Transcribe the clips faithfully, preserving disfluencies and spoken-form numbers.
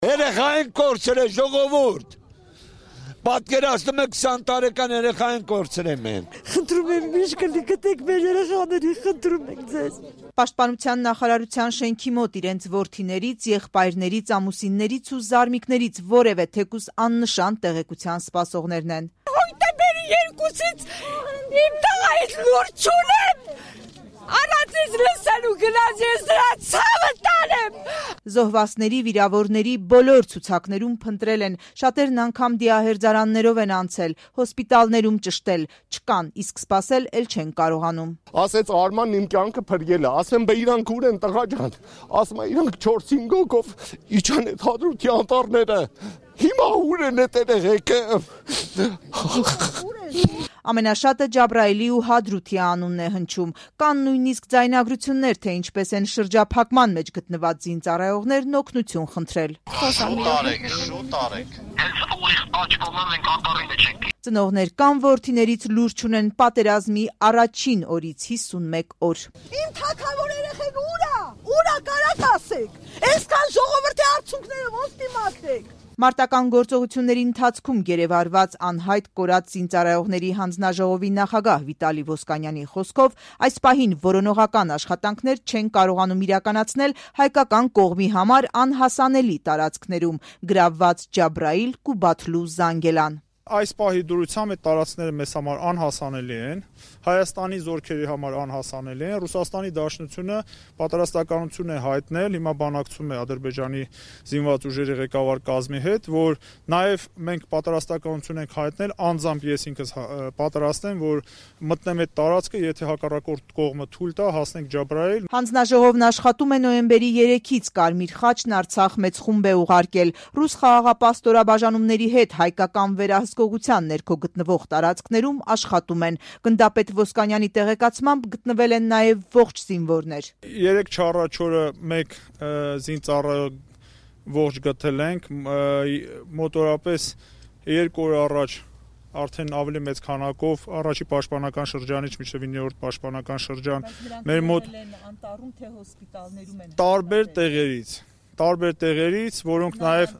Երեխային կորցրել է ժողովուրդ։ Պատկերացնում եք քսան տարեկան երեխային կորցրել մենք։ Խնդրում եմ միշկլի գտեք մեր երեխաների, խնդրում ենք ձեզ։ Պաշտպանության նախարարության շենքի մոտ իրենց որդիներից, եղբայրներից, ամուսիններից ու զարմիկներից որևէ թեկուզ աննշան տեղեկության սպասողներն են։ Հոկտեմբերի երկուսից իմ տղայից լուրջ չունեմ։ Առանցից լսելու գնաց ես դրա ցավը տանեմ։ Զոհվածների, վիրավորների բոլոր ցուցակներում փնտրել են, շատերն անգամ դիահերձարաններով են անցել, հոսպիտալներում ճշտել, չկան, իսկ սպասել էլ չեն կարողանում։ Ասեց Արմանն իմ կյանքը փրկել է, ասեմ բե իրանք ուր են տղա ջան, ասում է իրանք չորս-հինգ հոգով իջան այդ Հադրութի անտառները, հիմա ուր են էտեղ եկել։ Ամենաշատը Ջաբրայելի ու Հադրութի անունն է հնչում, կան նույնիսկ ձայնագրություններ, թե ինչպես են շրջափակման մեջ գտնված զինծառայողներն օգնություն խնդրել։ Շուտ արեք, շուտ արեք։ Հենց ուղիղ աջ կողմն ենք անտառի մեջ ենք։ Ծնողներ կամ որդիներից լուրջ չունեն պատերազմի առաջին օրից հիսունմեկ օր։ Իմ թագավոր երեխեք ուրա, ուրա կարաք ասեք, այսքան ժողովրդի արդյունքները ոնց դիմացեք։ Մարտական գործողությունների ընթացքում գերեվարված անհայտ կորած զինծառայողների հանձնաժողովի նախագահ Վիտալի Ոսկանյանի խոսքով այս պահին որոնողական աշխատանքներ չեն կարողանում իրականացնել հայկական կողմի համար անհասանելի տարածքներում՝ գրավված Ջաբրայիլ, Կուբաթլու, Զանգելան։ Այս պահի դրությամբ այդ տարածքները մեզ համար անհասանելի են, Հայաստանի զորքերի համար անհասանելի են, Ռուսաստանի Դաշնությունը պատրաստականություն է հայտնել, հիմա բանակցում է Ադրբեջանի զինված ուժերի ղեկավար կազմի հետ, որ նաև մենք պատրաստականություն ենք հայտնել, անձամբ ես ինքս պատրաստ եմ, որ մտնեմ այդ տարածքը, եթե հակառակորդ կողմը թույլ տա, հասնենք Ջաբրայիլ։ Հանձնաժողովն աշխատում է նոյեմբերի երեքից, Կարմիր խաչն Արցախ մեծ խումբ է ուղարկել, ռուս խաղաղապահ ստորաբաժանումների հետ հայկական վերահսկողության ներքո գտնվող տարածքներում աշխատում են։ Գնդապետ Ոսկանյանի տեղեկացմամբ գտնվել են նաև ողջ զինվորներ։ Երեք չառաջորը մեկ զինծառայող ողջ գտել ենք, մոտորապես երկու օր առաջ արդեն ավելի մեծ քանակով առաջի պաշտպանական շրջանից մինչև իններորդ պաշտպանական շրջան մեր մոտ տարբեր տեղերից տարբեր տեղերից, որոնք նաև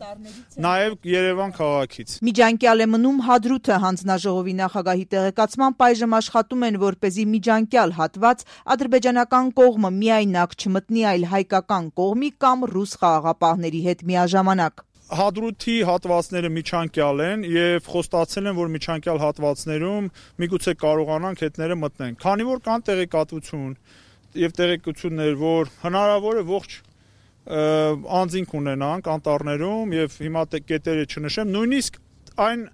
նաև Երևան քաղաքից։ Միջանկյալ է մնում Հադրութը հանձնաժողովի նախագահի տեղեկացմամբ այժմ աշխատում են, որպեսզի միջանկյալ հատված ադրբեջանական կողմը միայնակ չմտնի, այլ հայկական կողմի կամ ռուս խաղաղապահների հետ միաժամանակ։ Հադրութի հատվածները միջանկյալ են եւ խոստացել են, որ միջանկյալ հատվածներում միգուցե կարողանանք հետները մտնեն։ Քանի որ կան տեղեկատվություն եւ տեղեկություններ, որ հնարավոր է ողջ անձինք ունենանք անտառներում եւ հիմա կետերը չնշեմ, նույնիսկ այն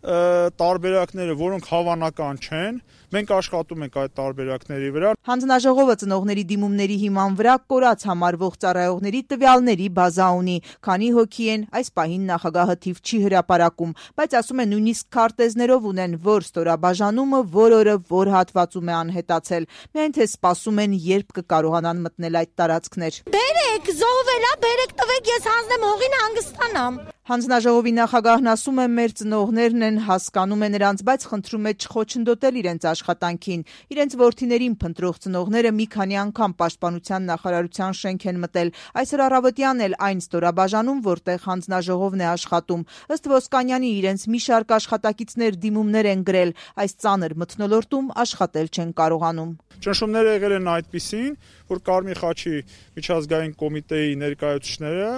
տարբերակները, որոնք հավանական չեն, մենք աշխատում ենք այդ տարբերակների վրա։ Հանձնաժողովը ծնողների դիմումների հիման վրա կորած համարվող ծառայողների տվյալների բազա ունի, քանի հոգի են, այս պահին նախագահը թիվ չի հրապարակում, բայց ասում է նույնիսկ քարտեզներով ունեն, որ ստորաբաժանումը որ օրը որ հատվածում է անհետացել, միայն թե սպասում են, երբ կկարողանան մտնել այդ տարածքներ։ Բերեք, զոհվելա, բերեք տվեք, ես հանձնեմ հողին հանգստանամ։ Հանձնաժողովի նախագահն ասում է, մեր ծնողներն են, հասկանում է նրանց, բայց խնդրում է չխոչընդոտել իրենց աշխատանքին։ Իրենց որդիներին փնտրող ծնողները մի քանի անգամ պաշտպանության նախարարության շենք են մտել։ Այսօր առավոտյան էլ այն ստորաբաժանում, որտեղ հանձնաժողովն է աշխատում։ Ըստ Ոսկանյանի, իրենց մի շարք աշխատակիցներ դիմումներ են գրել, այս ծանր մթնոլորտում աշխատել չեն կարողանում։ Ճնշումները եղել են այդպիսին, որ Կարմիր խաչի միջազգային կոմիտեի ներկայացուցիչները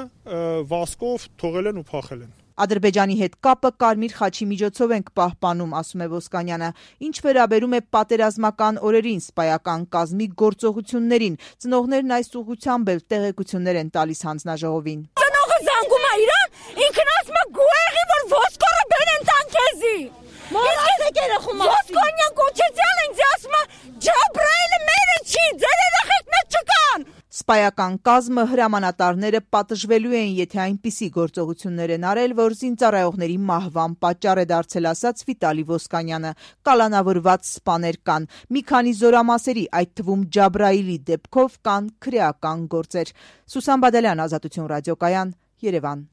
վասկով թողել են ու փախել են։ Ադրբեջանի հետ կապը Կարմիր խաչի միջոցով ենք պահպանում, ասում է Ոսկանյանը։ Ինչ վերաբերում է պատերազմական օրերին սպայական կազմի գործողություններին, ծնողներն այս ուղղությամբ էլ տեղեկություններ են տալիս հանձնաժողովին։ Ծնողը զանգում է իրան, ինքն ասում է գուեղի, որ ոսկորը բերեն տան քեզի։ Մորացեք երախում ասի։ Ոսկանյան կոչեցյալ ինձ ասում է Ջաբրայիլը մերը չի, ձեր երախեքն չկան։ Սպայական կազմը հրամանատարները պատժվելու են, եթե այնպիսի գործողություններ են արել, որ զինծառայողների մահվան պատճառ է դարձել, ասաց Վիտալի Ոսկանյանը։ Կալանավորված սպաներ կան։ Մի քանի զորամասերի, այդ թվում Ջաբրայիլի դեպքով կան քրեական գործեր։ Սուսան Բադալյան, Ազատություն ռադիոկայան, Երևան։